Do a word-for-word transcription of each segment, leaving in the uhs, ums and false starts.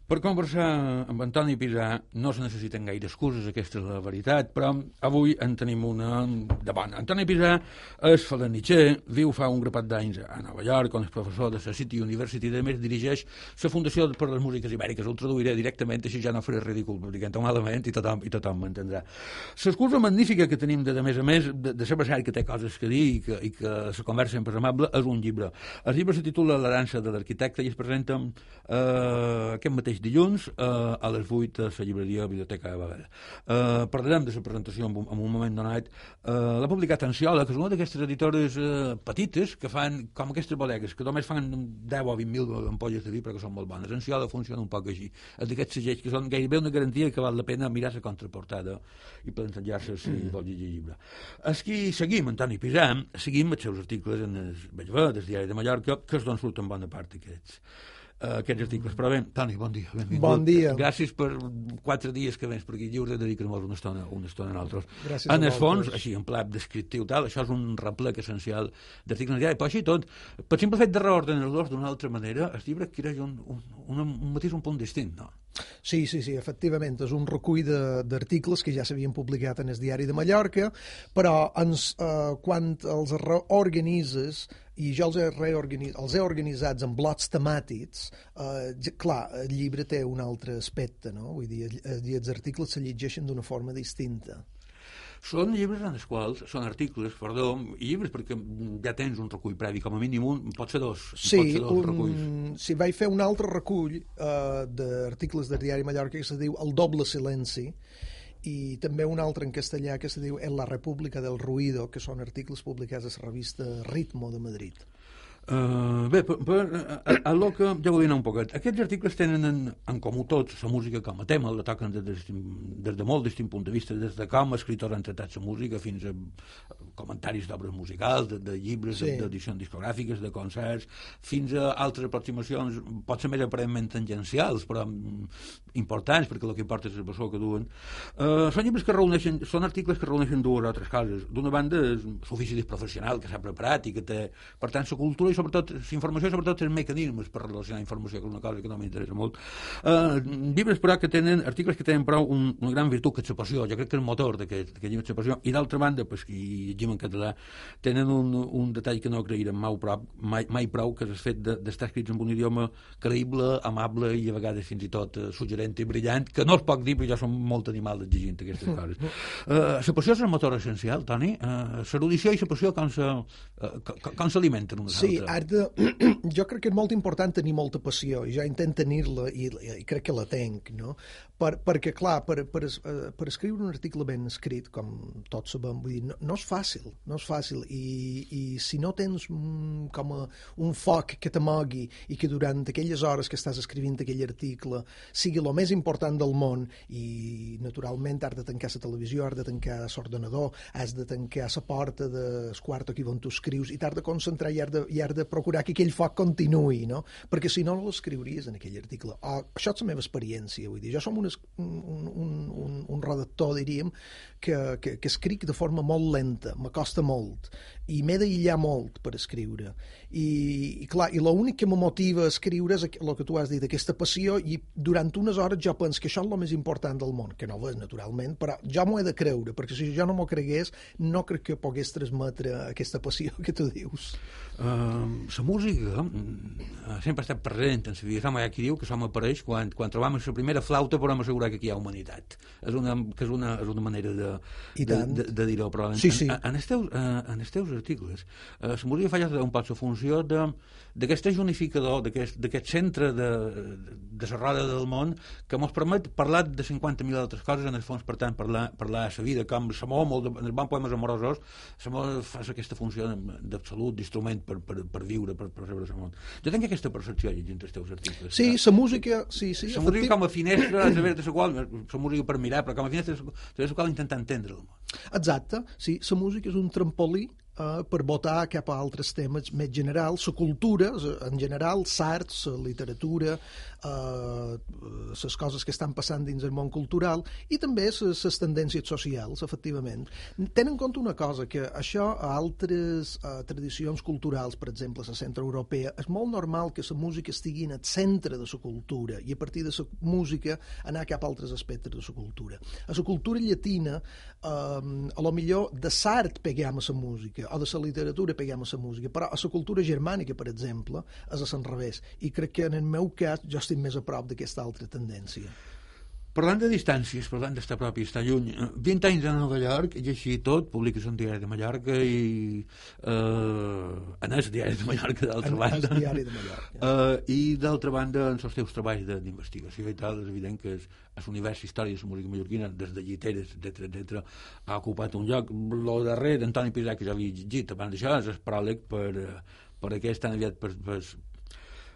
Per conversar amb Antoni Pisà no se necessiten gaire excuses, aquesta és la veritat, però avui en tenim una de bona. Antoni Pisà és falanitxer, viu fa un grapat d'anys a Nova York, on és professor de la City University, i a més dirigeix la Fundació per les Músiques Ibèriques. Ho traduiré directament, així ja no faré ridícul, perquè entenc malament i tothom, i tothom m'entendrà. L'excusa magnífica que tenim de, de més a més, de, de ser passat que té coses que dir i que, i que la conversa sempre és amable, és un llibre. El llibre se titula La dansa de l'arquitecte i es presenta eh, aquest mateix dilluns eh, a les vuit a la llibreria Biblioteca de Babel. Eh, parlarem de la presentació en un, en un moment donat. Eh, L'ha publicat Anciola, que és una d'aquestes editores eh, petites que fan com aquestes bodegues, que només fan deu o vint mil ampolles de vi perquè són molt bones. Anciola funciona un poc així. És d'aquests segells que són gairebé una garantia que val la pena mirar la contraportada i plantejar-se si mm. vol llegir el llibre. Aquí seguim Antoni Pisà, seguim els seus articles en el Bellver, del Diari de Mallorca, que és d'on surten bona part aquests. Uh, aquests articles. Però bé, Toni, bon dia, benvingut. Bon dia. Gràcies per quatre dies que vens per aquí lliure, dedicar-nos una estona, una estona a nosaltres. Gràcies en a el fons, vosaltres. així, en pla descriptiu tal, això és un replec essencial d'articles diaris, però així tot, per simple fet de reordenar-los d'una altra manera, el llibre adquireix un, un, un, un mateix, un punt distint, no? Sí, sí, sí, efectivament, és un recull d'articles que ja s'havien publicat en el Diari de Mallorca, però ens, eh, quan els reorganitzes, i jo els he, reorganitzat, els he organitzats en blocs temàtics, eh, clar, el llibre té un altre aspecte, no? Vull dir, els articles se llegeixen d'una forma distinta. Són llibres en els quals, són articles, perdó, i llibres perquè ja tens un recull previ, com a mínim un, pot ser dos, sí, pot ser dos un, reculls. Sí, vaig fer un altre recull uh, d'articles del Diari Mallorca que se diu El doble silenci, i també un altre en castellà que se diu En la República del Ruido, que són articles publicats a la revista Ritmo de Madrid. Uh, bé, per, per, a, a lo que ja vull anar un poquet. Aquests articles tenen en, en comú tots la música com a tema, la toquen des de, des de molt distint punt de vista, des de com escritors han tratat la música fins a comentaris d'obres musicals, de, de llibres, sí. d'edicions discogràfiques, de concerts, fins a altres aproximacions, pot ser més aparentment tangencials, però importants, perquè el que importa és el bessó que duen. Uh, són llibres que reuneixen, són articles que reuneixen dues o altres coses. D'una banda, és l'ofici professional que s'ha preparat i que té, per tant, la cultura i sobretot la informació, sobretot els mecanismes per relacionar informació, que és una cosa que no m'interessa molt. Uh, llibres, però, que tenen, articles que tenen prou un, una gran virtut, que és la passió. Jo crec que el motor d'aquest llibre és la passió. I d'altra banda, pues, i llegim en català, tenen un, un detall que no agrairem mai prou, mai, mai prou, que és el fet d'estar escrits en un idioma creïble, amable i a vegades fins i tot uh, suggerent i brillant, que no es pot dir, però jo som molt animal exigint aquestes coses. Uh, la passió és el motor essencial, Toni. Uh, l'erudició i la passió com s'alimenten uh, unes sí, altres. De, jo crec que és molt important tenir molta passió, i jo intento tenir-la i, i crec que la tenc, no? Per, perquè, clar, per, per, per escriure un article ben escrit, com tots sabem, vull dir, no, no és fàcil, no és fàcil, i, i si no tens un, com a, un foc que t'amogui i que durant aquelles hores que estàs escrivint aquell article sigui el més important del món, i naturalment has de tancar la televisió, has de tancar l'ordenador, has de tancar la porta del quart aquí on tu escrius, i t'has de concentrar i has de, i has de procurar que aquell foc continuï, no? Perquè si no, no l'escriuries en aquell article. O, això és la meva experiència, vull dir, jo som un, un, un, un, un redactor, diríem, que, que, que escric de forma molt lenta, m'acosta molt, i m'he d'aïllar molt per escriure. I, i clar, i l'únic que me motiva a escriure és el que tu has dit, aquesta passió, i durant unes hores jo penso que això és el més important del món, que no ho és, naturalment, però jo m'ho he de creure, perquè si jo no m'ho cregués, no crec que pogués transmetre aquesta passió que tu dius. Uh, la música uh, sempre ha estat present en la vida. Som, hi ha qui diu que som apareix quan, quan trobam la primera flauta podem assegurar que aquí hi ha humanitat. És una, que és una, és una manera de, de, de, de dir-ho, però en, sí, sí. en, en, els teus, uh, en els teus articles uh, la música fa ja un poc la funció d'aquest unificador, d'aquest centre de, de la roda del món que ens permet parlar de cinquanta mil altres coses, en el fons, per tant, parlar, parlar de la vida, com l'amor, molt de, en els bons poemes amorosos, l'amor fa aquesta funció d'absolut, d'instrument per, per, per viure, per, per rebre el món. Jo tenc aquesta percepció llegint els teus articles. Sí, la música... Sí, sí, la música com a finestra a través de la qual, la música per mirar, però com a finestra a través de la qual intentar entendre el món. Exacte, sí, la música és un trampolí eh, per votar cap a altres temes més generals, la cultura, en general, l'art, la literatura, eh, les coses que estan passant dins el món cultural i també les tendències socials, efectivament. Tenen en compte una cosa, que això a altres eh, tradicions culturals, per exemple, la centroeuropea, és molt normal que la música estigui en el centre de la cultura i a partir de la música anar cap a altres aspectes de la cultura. A la cultura llatina, eh, a lo millor de l'art peguem a la música o de la literatura peguem a la música, però a la cultura germànica, per exemple, és a l'enrevés. I crec que en el meu cas jo estic més a prop d'aquesta altra tendència. Parlant de distàncies, parlant d'estar propi i estar lluny, vint anys a Nova York, i així tot, publiques un diari de Mallorca i... Eh, en el diari de Mallorca, d'altra en, banda. El diari de Mallorca. Eh, I d'altra banda, en els teus treballs d'investigació i tal, és evident que l'univers històric de la música mallorquina, des de lliteres, etcètera, etcètera, ha ocupat un lloc. Lo darrer d'Antoni Pisà, que ja havia llegit abans d'això, és el pròleg per, per aquest tan aviat per, per,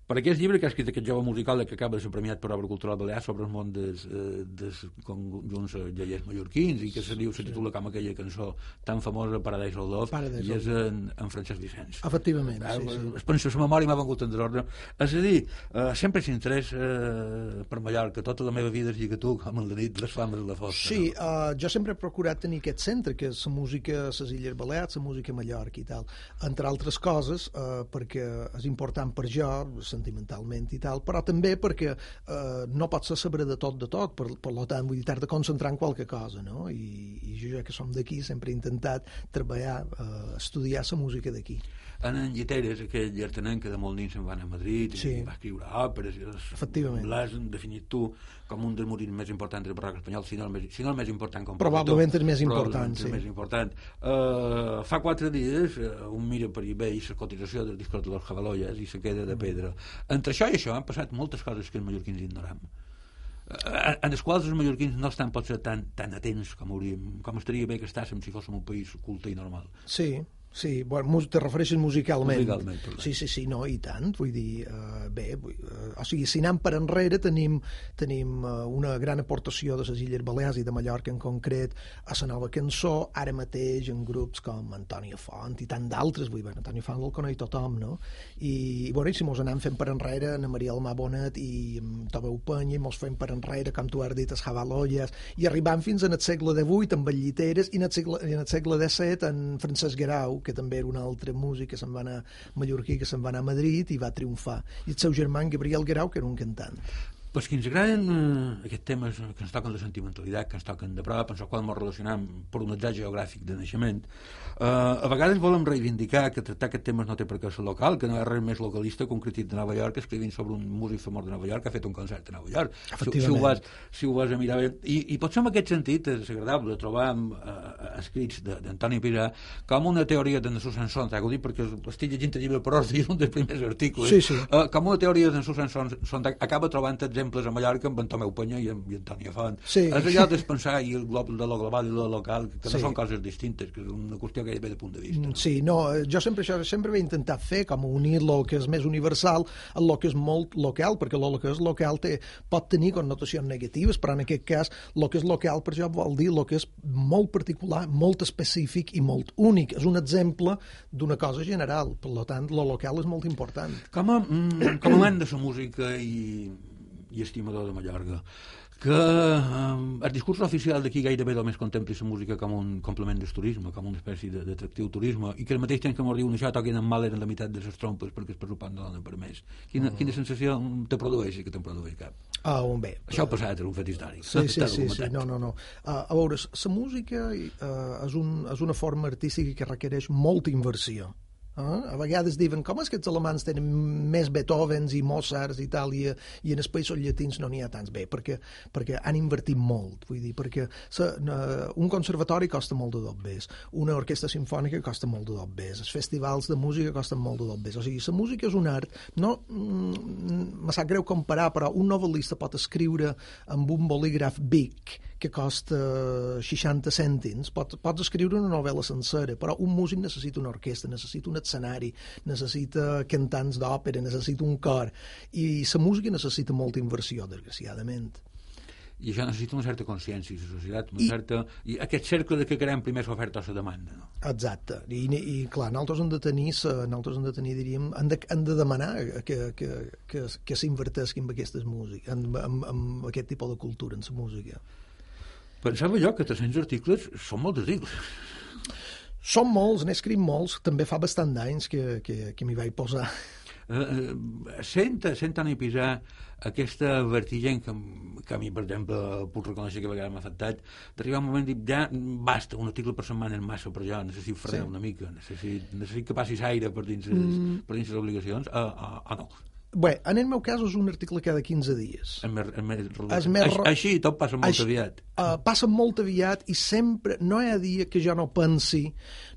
per aquest llibre que ha escrit aquest jove musical que acaba de ser premiat per Obra Cultural Balear sobre el món dels, dels conjunts lleiers mallorquins i que se diu, se titula com aquella cançó tan famosa Paradise of Love, Paradise i és en, en Francesc Vicenç. Efectivament, eh, sí, sí. Es pensa, la memòria m'ha vengut en desordre. És a dir, eh, sempre s'interès eh, per Mallorca, tota la meva vida es lliga tu, com el de nit, les flames de la fosca. Sí, no? uh, jo sempre he procurat tenir aquest centre, que és la música a les Illes Balears, la música a Mallorca i tal, entre altres coses, uh, perquè és important per jo, sentimentalment i tal, però també perquè eh, no pots saber de tot de tot, per, per tant, vull dir, t'has de concentrar en qualque cosa, no? I, i jo, ja que som d'aquí, sempre he intentat treballar, eh, estudiar la música d'aquí. En en Lliteres, aquell llartanenc que de molt nins se'n van a Madrid i sí. va escriure òperes, efectivament, l'has definit tu com un dels morins més importants del barroc espanyol, si no el més, si no el més important com probablement el més important, sí. el més important. Uh, fa quatre dies uh, un mira per eBay la cotització dels discos de los Jabaloyes i se queda de pedra. Mm. Entre això i això han passat moltes coses que els mallorquins ignoram, uh, en les quals els mallorquins no estan potser tan, tan atents com hauríem, com estaria bé que estàssim si fóssim un país culte i normal. Sí. Sí, bueno, te refereixes musicalment. Musicalment, sí, sí, sí, no, i tant. Vull dir, uh, bé, vull, uh, o sigui, si anem per enrere tenim, tenim uh, una gran aportació de les Illes Balears i de Mallorca en concret a la nova cançó, ara mateix en grups com Antonio Font i tant d'altres, vull dir, bueno, Antonio Font el coneix tothom, no? I, i bueno, i si mos anem fent per enrere, Ana Maria Almà Bonet i um, Tomeu Penya, mos fem per enrere, com tu has dit, els Jabaloyes, i arribant fins en el segle divuit amb el Lliteres i en el segle, en el segle disset en Francesc Guerau, que també era un altre músic que se'n va anar mallorquí, que se'n va anar a Madrid i va triomfar. I el seu germà, Gabriel Guerau, que era un cantant. Pues que ens agraden eh, aquests temes que ens toquen de sentimentalitat, que ens toquen de prop, en el qual ens relacionem per un atzar geogràfic de naixement. Eh, a vegades volem reivindicar que tractar aquests temes no té per què ser local, que no hi ha res més localista que un crític de Nova York escrivint sobre un músic famós de Nova York que ha fet un concert a Nova York. Si, si, ho, vas, si ho vas a mirar bé. I, i potser en aquest sentit és agradable trobar eh, escrits d'Antoni Pisà com una teoria de Nassau Sanson, t'ho dic perquè estic llegint el llibre per ordre i és un dels primers articles. Sí, sí. Eh, com una teoria de Nassau Sanson acaba trobant exemples a Mallorca amb en Tomeu Penya i en, i en Antoni Font. Sí. És allò de pensar i el glob de lo global i lo local, que no sí. són coses distintes, que és una qüestió que hi ve de punt de vista. No? Sí, no, jo sempre això sempre he intentat fer, com unir lo que és més universal a lo que és molt local, perquè lo que és local té, pot tenir connotacions negatives, però en aquest cas lo que és local per això vol dir lo que és molt particular, molt específic i molt únic. És un exemple d'una cosa general, per tant, lo local és molt important. Com a, mm, com a amant de la música i i estimador de Mallorca, que eh, el discurs oficial d'aquí gairebé només contempli la música com un complement del turisme, com una espècie d'atractiu turisme, i que al mateix temps que m'ho diuen això toquin amb mal eren la meitat de les trompes perquè el pressupost no dona per més. Quina, mm. quina sensació te produeix que te'n produeix cap? Ah, uh, bé. Això ha passat, és un fet històric. Sí, sí, sí, sí, no, no, no. Uh, a veure, la música uh, és, un, és una forma artística que requereix molta inversió. Uh, a vegades diuen, com és que els alemans tenen més Beethovens i Mozarts i tal, i, i en els països llatins no n'hi ha tants? Bé, perquè, perquè han invertit molt, vull dir, perquè sa, uh, un conservatori costa molt de dobbers, una orquestra sinfònica costa molt de dobbers, els festivals de música costen molt de dobbers, o sigui, la música és un art, no, mm, me sap greu comparar, però un novel·lista pot escriure amb un bolígraf Bic, que costa seixanta cèntims, pots, pots escriure una novel·la sencera, però un músic necessita una orquestra, necessita un escenari, necessita cantants d'òpera, necessita un cor, i la música necessita molta inversió, desgraciadament. i això necessita una certa consciència de la societat, una I, certa... I aquest cercle de que creem primer l'oferta o la demanda, no? Exacte, i, i clar, nosaltres hem de tenir, nosaltres hem de tenir, diríem, hem de, hem de demanar que, que, que, que s'invertesqui en aquestes músiques, en, en, en aquest tipus de cultura, en la música. Pensava jo que tres-cents articles són molts articles. Són molts, n'he escrit molts, també fa bastant d'anys que, que, que m'hi vaig posar. Uh, sent, sent tant i pisar aquesta vertigen que, que a mi, per exemple, puc reconèixer que a vegades m'ha afectat, d'arribar un moment i dir, ja basta, un article per setmana és massa per jo, necessito frenar sí. una mica, necessito, necessito que passis aire per dins les, mm. per dins les obligacions, o uh, uh, uh, no. Bé, en el meu cas és un article cada quinze dies. És més, és més, és més... Així tot passa molt així, aviat. Uh, passa molt aviat i sempre, no hi ha dia que jo no pensi,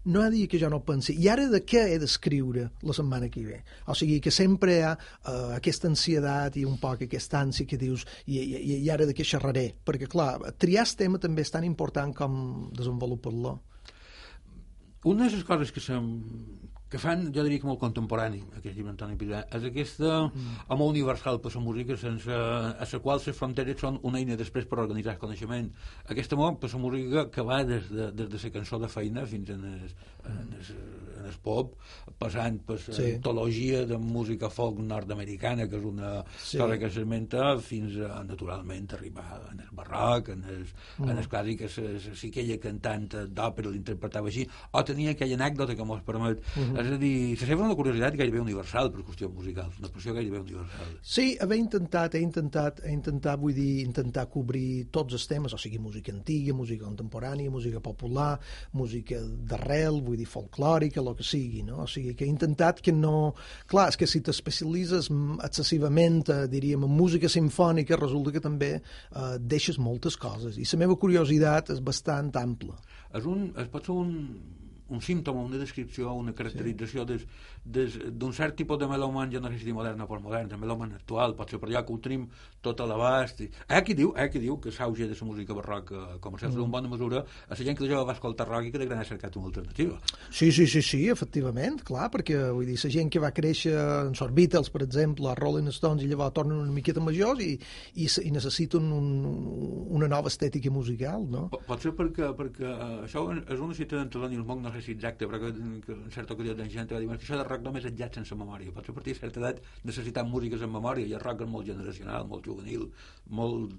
no hi ha dia que jo no pensi, i ara de què he d'escriure la setmana que ve? O sigui, que sempre hi ha uh, aquesta ansiedat i un poc aquesta ànsia que dius, i, i, i ara de què xerraré? Perquè, clar, triar el tema també és tan important com desenvolupar-lo. Una de les coses que sem... que fan, jo diria que molt contemporani, aquest llibre Antoni Pisà, és aquesta mm. home universal per la música, sense, a la qual les fronteres són una eina després per organitzar el coneixement. Aquest amor per la música que va des de, des de la cançó de feina fins en el, en el, en el pop, passant per la sí. antologia de música folk nord-americana, que és una sí. cosa que s'esmenta, fins a, naturalment, arribar en el barroc, en el, mm. en el clàssic, que si aquella cantant d'òpera l'interpretava així, o tenia aquella anècdota que mos permet mm-hmm. És a dir, se sembla una curiositat gairebé universal per qüestions musicals, una expressió gairebé universal. Sí, haver intentat, he intentat, he intentat, vull dir, intentar cobrir tots els temes, o sigui, música antiga, música contemporània, música popular, música d'arrel, vull dir, folclòrica, el que sigui, no? O sigui, que he intentat que no... Clar, és que si t'especialitzes excessivament, eh, diríem, en música simfònica, resulta que també eh, deixes moltes coses, i la meva curiositat és bastant ampla. És un... Es pot ser un... un símptoma, una descripció, una caracterització sí. d'un cert tipus de melòman, jo no sé si dir modern o postmodern, de melòman actual, pot ser per allà que ho tenim tot a l'abast. Eh, qui diu, eh, qui diu que s'auge de la música barroca comercial mm. en bona mesura a la gent que de jove va escoltar rock i que de gran ha cercat una alternativa. Sí, sí, sí, sí, efectivament, clar, perquè vull dir, la gent que va créixer en els Beatles, per exemple, a Rolling Stones, i llavors tornen una miqueta majors i, i, i necessiten un, una nova estètica musical, no? Pot ser perquè, perquè això és una cita d'Antoni Monk, no sé si exacte, però que, que en certa ocasió de gent va dir que això de rock només és jazz sense memòria. Pot ser a partir de certa edat necessitant músiques en memòria, i el rock és molt generacional, molt juvenil, molt...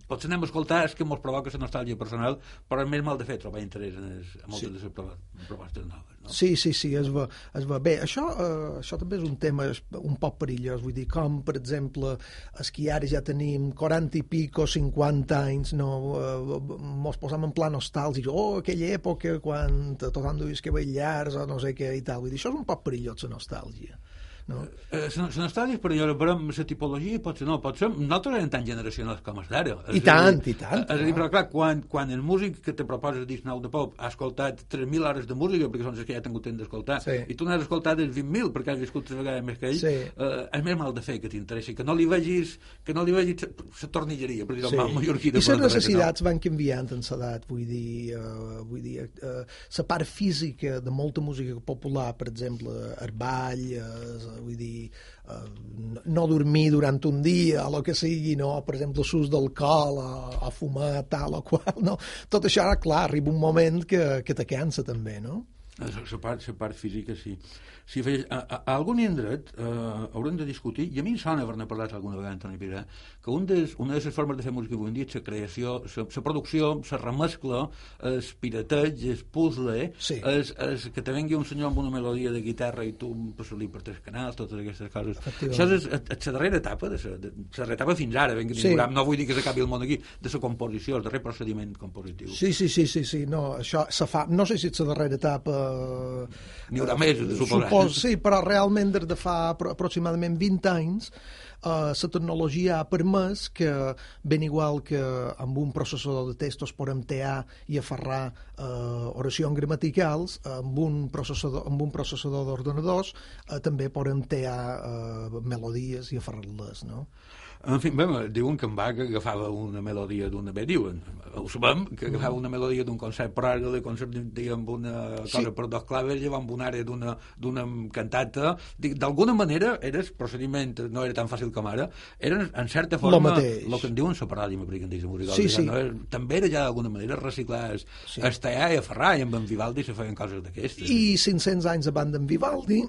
Potser anem a escoltar és que ens provoca la nostàlgia personal, però és més mal de fer trobar interès en, es, en moltes sí. de les propostes noves. No? Sí, sí, sí, es va, es va. Bé, això, eh, això també és un tema un poc perillós, vull dir, com, per exemple, és que ara ja tenim quaranta i pico, cinquanta anys, no, eh, mos posam en pla nostàlgic, oh, aquella època quan tothom duis que ballars o no sé què i tal, vull dir, això és un poc perillós, la nostàlgia. No? Eh, la nostàlgia és perillosa, però la tipologia pot ser, no, pot ser, nosaltres eren tan generacionals com els d'ara. I tant, i tant. És a dir, però clar, quan, quan el músic que te proposa el disc nou de pop ha escoltat tres mil hores de música, perquè són les que ja ha tingut temps d'escoltar, sí. i tu n'has escoltat els vint mil, perquè has viscut tres vegades més que ell, sí. eh, és més mal de fer que t'interessi, que no li vegis, que no li vegis la tornilleria, per dir-ho sí. mal mallorquí. I les necessitats no. van canviant en l'edat, vull dir, uh, vull dir, uh, la part física de molta música popular, per exemple, el ball, uh, vull dir, Uh, no, no dormir durant un dia o el que sigui, no? Per exemple, l'ús d'alcohol o, o fumar tal o qual, no? Tot això, ara, clar, arriba un moment que, que te cansa també, no? La part, la part física, sí. Si fes, a, a, a algun indret eh, haurem de discutir, i a mi em sona haver-ne parlat alguna vegada, Antoni Pisà, que un des, una de les formes de fer música avui en dia és la creació, la producció, la remescla, el pirateig, el puzzle, sí. és, és que te vengui un senyor amb una melodia de guitarra i tu passa-li per tres canals, totes aquestes coses. Això és la darrera etapa, de la darrera etapa fins ara, ben, sí. no vull dir que s'acabi el món aquí, de la composició, el darrer procediment compositiu. Sí, sí, sí, sí, sí. No, això se fa, no sé si és la darrera etapa... N'hi haurà més, de suposar. Sí, però realment des de fa aproximadament vint anys la uh, tecnologia ha permès que, ben igual que amb un processador de textos podem tear i aferrar uh, oracions gramaticals, amb un processador, amb un processador d'ordenadors uh, també podem tear uh, melodies i aferrar-les, no? En fi, bé, diuen que en Bach agafava una melodia d'una... Bé, diuen, ho sabem, que agafava una melodia d'un concert per àrea, de concert, diguem, una cosa sí. per dos claves, llavors amb una àrea d'una, d'una cantata. D'alguna manera, era el procediment, no era tan fàcil com ara, era, en certa forma, el que en diuen la paràdia, me dic musical. Sí, sí. No? També era ja d'alguna manera reciclar sí. Estaià i a Ferrà, i amb en Vivaldi se feien coses d'aquestes. I cinc-cents anys abans d'en Vivaldi,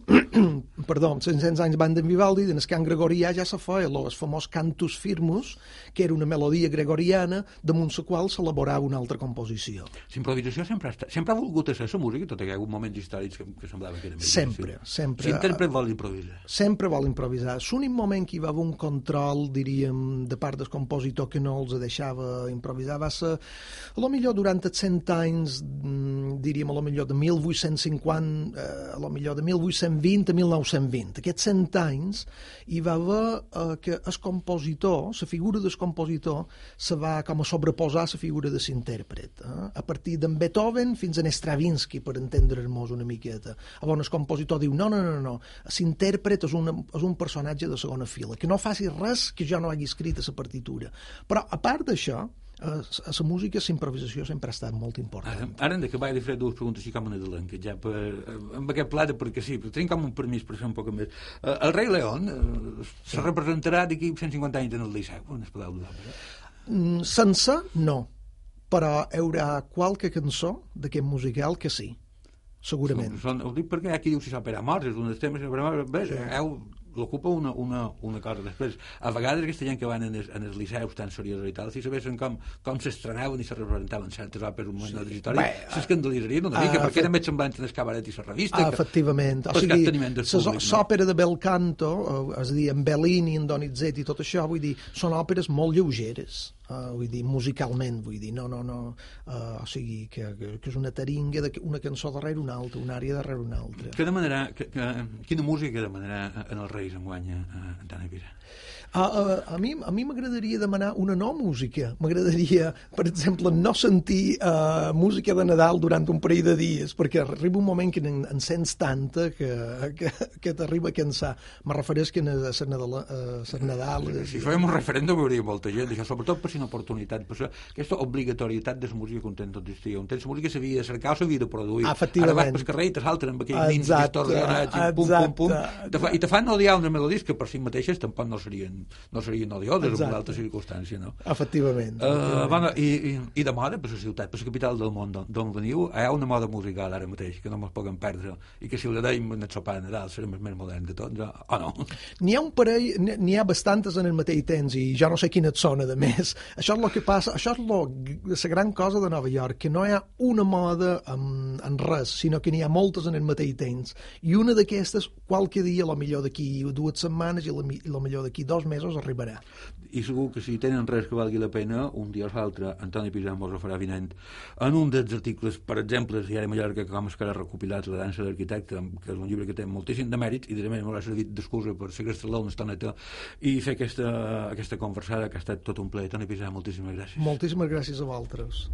perdó, cinc-cents anys abans d'en Vivaldi, en el cant gregorià ja se feia el famós cantus firmus, que era una melodia gregoriana damunt la qual s'elaborava una altra composició. L'improvisació sempre ha, estat, sempre ha volgut ser la música, tot i que hi ha hagut moments històrics que, que semblava que era més sempre, difícil. sempre. L'intèrpret vol improvisar. Sempre vol improvisar. L'únic moment que hi va haver un control, diríem, de part del compositor que no els deixava improvisar va ser, a lo millor durant els cent anys, diríem, a lo millor de mil vuit-cents cinquanta, eh, a lo millor de mil vuit-cents vint a mil nou-cents vint. Aquests cent anys hi va haver eh, que el compositor, la figura del compositor, se va com a sobreposar a la figura de l'intèrpret. Eh? A partir d'en Beethoven fins a Stravinsky, per entendre'ns una miqueta. Llavors el compositor diu, no, no, no, no, l'intèrpret és, una, és un personatge de segona fila, que no faci res que jo no hagi escrit a la partitura. Però, a part d'això, a la música, la improvisació sempre ha estat molt important. Ara, ara hem d'acabar de fer dues preguntes així com a nadalenques, ja per, amb aquest plat, perquè sí, tenim com un permís per fer un poc més. Uh, el rei León uh, sí. se representarà d'aquí cent cinquanta anys en el Liceu, on es podeu donar? Mm, sense, no. Però hi haurà qualque cançó d'aquest musical que sí, segurament. Són, són, ho dic perquè aquí diu si s'opera morts, és un dels temes, bé, sí. heu l'ocupa una, una, una cosa després. A vegades aquesta gent que van en els, en els liceus tan seriosos i tal, si sabessin com, com s'estrenaven i se representaven certes òperes un moment de la història, s'escandalitzarien una mica, uh, perquè era més semblant en el cabaret i la revista. Uh, efectivament. O sigui, l'òpera de Bel Canto, és a dir, en Bellini, en Donizetti i tot això, vull dir, són òperes molt lleugeres. Uh, vull dir, musicalment, vull dir, no, no, no, uh, o sigui, que, que, que és una taringa, de una cançó darrere una altra, una àrea darrere una altra. Què demanarà, que, que, quina música demanarà en els Reis enguany a Antoni Pisa? A, a, a mi a mi m'agradaria demanar una nova música. M'agradaria, per exemple, no sentir uh, música de Nadal durant un parell de dies, perquè arriba un moment que en, en sents tanta que, que, que t'arriba a cansar. Me refereix que a ser Nadal... Uh, Nadal si fèiem un referèndum hi hauria molta gent, això, sobretot per si una oportunitat, per aquesta obligatorietat de la música que un temps tot estiu. Un temps la música s'havia de cercar o s'havia de produir. Efectivament. Ara vas pel carrer i te salten amb aquells nins distorsionats i pum, pum, pum. Te fa, I te fan odiar unes melodies que per si mateixes tampoc no serien no serien odioses en una altra circumstància, no? Efectivament. Uh, efectivament. Bueno, i, i, I de moda, per la ciutat, per la capital del món d'on veniu, hi ha una moda musical ara mateix que no ens podem perdre i que si la deim en el sopar de Nadal serem els més moderns de tots, o no? N'hi ha un parell, n'hi ha bastantes en el mateix temps i jo no sé quines són, a més. Això és el que passa, això és lo, la gran cosa de Nova York, que no hi ha una moda en, en res, sinó que n'hi ha moltes en el mateix temps. I una d'aquestes, qualque dia, a lo millor d'aquí dues setmanes i a lo millor d'aquí dos mesos arribarà. I segur que si tenen res que valgui la pena, un dia o l'altre, Antoni Pisa mos ho farà vinent. En un dels articles, per exemple, si ara Mallorca, com es que ara recopilat La dansa d'arquitecte, que és un llibre que té moltíssim de mèrits, i de més m'haurà servit d'excusa per segrestar-la una estoneta i fer aquesta, aquesta conversada que ha estat tot un plaer. Antoni Pisa, moltíssimes gràcies. Moltíssimes gràcies a vosaltres.